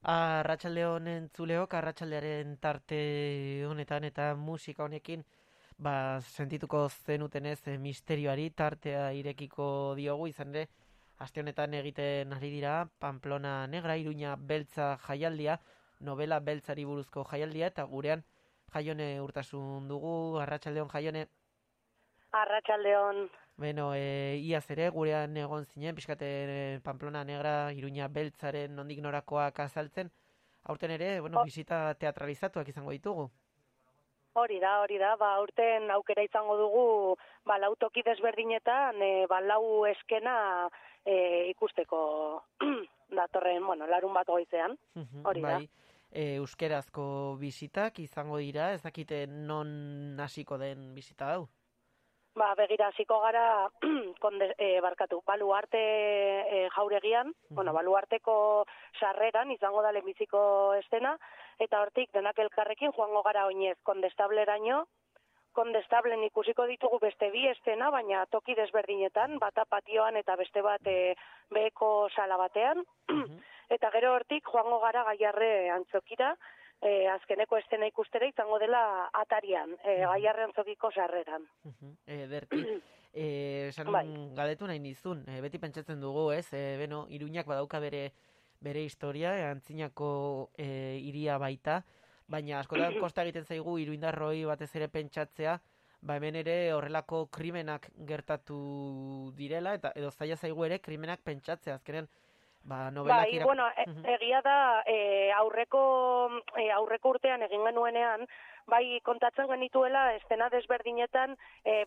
Arratsalde entzuleok, arratsaldearen tarte honetan eta musika honekin sentituko zenutenez misterioari tartea irekiko diogu, izan ere aste honetan egiten ari dira Pamplona Negra, Iruña Beltza jaialdia, novela beltzari buruzko jaialdia, eta gurean Jaione Urtasun dugu. Arratsaldeon, Jaione. Arratsaldeon. Beno, iaz ere gurean egon zinen, pixkate Pamplona Negra, Iruña Beltzaren nondik norakoak azaltzen. Aurten ere, bisita teatralizatuak izango ditugu. Hori da. Aurten aukera izango dugu, lau toki desberdinetan, lau eskena ikusteko datorren, larun bat goizean. Hori da. Bai, euskerazko bisitak izango dira, ez dakite non hasiko den bisita hau? Begira, hasiko gara, Baluarte jauregian, Baluarteko sarreran izango da lehenbiziko estena, eta hortik denak elkarrekin joango gara oinez Kondestableraino. Kondestablen ikusiko ditugu beste bi estena, baina toki desberdinetan, bata patioan eta beste bat beheko sala batean, eta gero hortik joango gara Gaiarre antzokira, azkeneko estena ikustera izango dela Atarian, Gaiarre antzokiko sarreran. Ederki, galdetu nahi nizun, beti pentsatzen dugu, ez? Iruñak badauka bere historia, antzinako hiria baita, baina askotan kosta egiten zaigu iruindarroi batez ere pentsatzea, hemen ere horrelako krimenak gertatu direla, eta edo zaila zaigu ere krimenak pentsatzea, azkenean novelak egia da, aurreko urtean egin genuenean, kontatzen genituela estena desberdinetan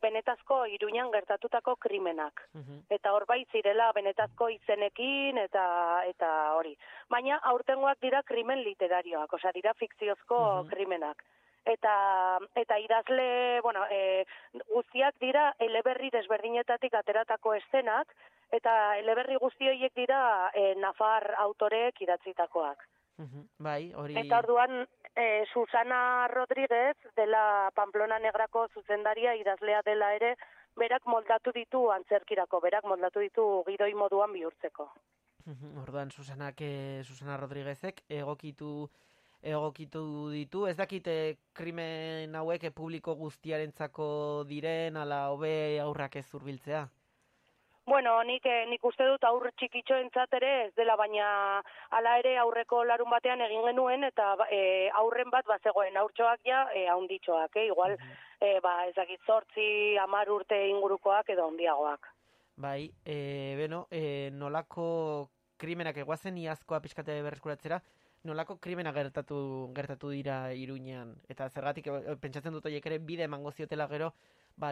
benetazko Iruñan gertatutako krimenak. Eta hor zirela benetazko izenekin eta hori. Baina aurtengoak dira krimen literarioak, dira fikziozko krimenak. Eta idazle, guztiak dira eleberri desberdinetatik ateratako estenak, eta eleberri guzti horiek dira Nafar autoreek idatzitakoak. Bai, hori... Eta orduan, Susana Rodríguez, dela Pamplona Negrako zuzendaria idazlea dela ere, berak moldatu ditu antzerkirako, berak moldatu ditu gidoi moduan bihurtzeko. Orduan, Susana Rodríguezek egokitu ditu, ez dakite krimen hauek publiko guztiarentzako diren, ala hobe aurrak ez zurbiltzea? Nik uste dut aur txikitxoentzat ere ez dela, baina hala ere aurreko larun batean egin genuen, eta aurren bat bazegoen aurtxoak haunditxoak, igual, ezakit 8, 10 urte ingurukoak edo handiagoak. Bai, nolako krimenak eguazen iazkoa pixkate berreskuratzera, nolako krimena gertatu dira Iruñean, eta zergatik pentsatzen dut horiek ere bide emango ziotela gero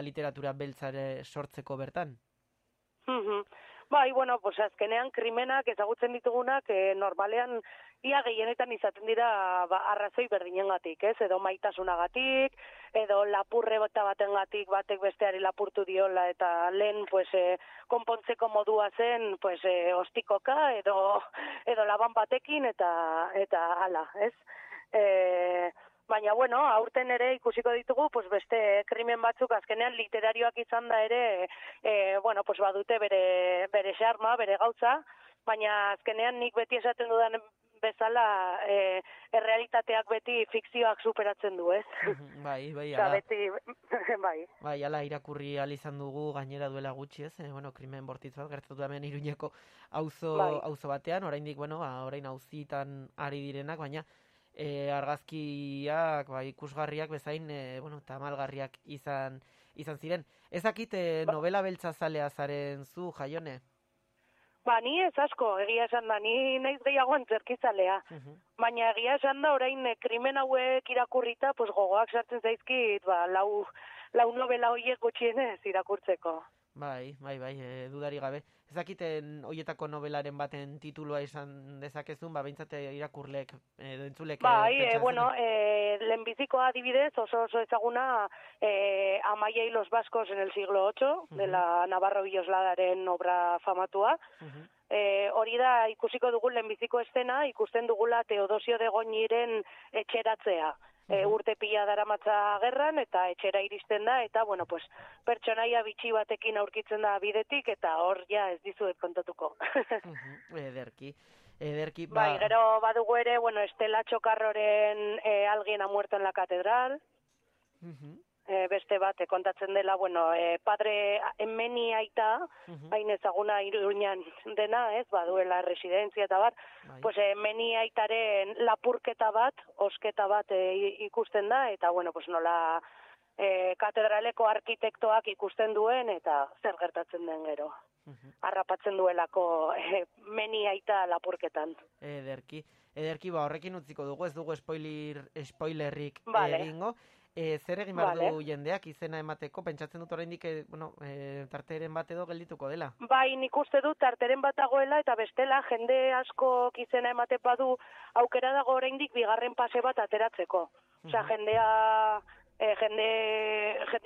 literatura beltzare sortzeko bertan? Azkenean krimenak ezagutzen ditugunak normalean ia gehienetan izaten dira arrazoi berdinengatik, ez? Edo maitasunagatik, edo lapurre batengatik batek besteari lapurtu diola eta lehen konpontzeko modua zen ostikoka edo laban batekin eta hala, ez? Baina, aurten ere ikusiko ditugu, beste krimen batzuk azkenean literarioak izan da ere, badute bere xarma, bere gautza, baina azkenean nik beti esaten dudan bezala, errealitateak beti fikzioak superatzen du, ez? Bai, bai. Bai, ala irakurri izan dugu gainera duela gutxi, ez? Krimen bortitz bat gertatu hemen Iruñeko auzo batean, oraindik, orain auzitan ari direnak, baina argazkiak, ikusgarriak bezain, tamalgarriak izan ziren. Ez dakit novela beltza zalea zaren zu, Jaione? Ni ez asko, egia esan da, ni naiz gehiago antzerkizalea. Baina egia esan da, orain krimen hauek irakurrita, gogoak sartzen zaizkit, lau novela horiek gutxienez irakurtzeko. Bai, dudari gabe. Ez dakiten hoietako novelaren baten titulua izan dezakezun, behintzat irakurlek, entzulek... lehenbizikoa adibidez, oso ezaguna Amaya y los vascos en el siglo VIII, dela Navarro Villosladaren obra famatua. Hori da, ikusiko dugu lehenbiziko estena, ikusten dugula Teodosio de Goñiren etxeratzea. Urte pila daramatza gerran, eta etxera iristen da, eta, pertsonaia bitxi batekin aurkitzen da bidetik, eta hor ez dizuet kontatuko. Ederki. Ederki, Bai, gero badugu ere, bueno, Estela Txokarroren Alguien ha muerto en la catedral, beste bat, kontatzen dela, bueno, padre Meni aita, hain ezaguna Iruñan dena, ez, baduela residentzia eta bat, pues Meni aitaren lapurketa bat, osketa bat ikusten da, eta, bueno, pues nola katedraleko arkitektoak ikusten duen, eta zer gertatzen den gero. Harrapatzen duelako Meni aita lapurketan. Ederki, horrekin utziko dugu, ez dugu spoilerrik egingo. Zer egin behar du jendeak izena emateko, pentsatzen dut oraindik, tarteren bat edo geldituko dela? Bai, nik uste dut tarteren bat dagoela, eta bestela jende asko izena ematen badu aukera dago oraindik bigarren pase bat ateratzeko. Osea, jende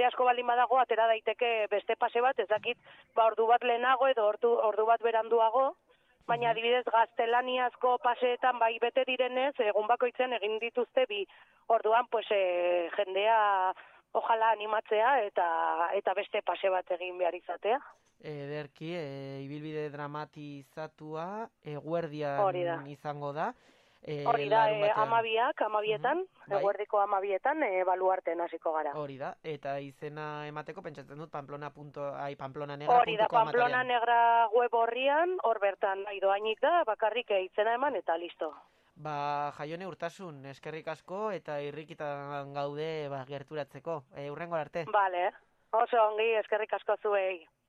asko baldin badago atera daiteke beste pase bat, ez dakit, ordu bat lehenago edo ordu bat beranduago, baina adibidez gaztelaniazko paseetan bai bete direnez, egun bakoitzen egin dituzte bi. Orduan, pues, jendea ojala animatzea eta beste pase bat egin behar izatea. Ederki, ibilbide dramatizatua, eguerdian izango da. Hori da, amabietan, eguerdiko amabietan, baluarten hasiko gara. Hori da, eta izena emateko pentsatzen dut pamplonannegra.com. Hori da, Pamplonannegra web horrian, hor bertan doainik da, bakarrik izena eman eta listo. Jaione Urtasun, eskerrik asko eta irrikitan gaude gerturatzeko. Hurrengo arte. Bale, oso ongi, eskerrik asko zuei.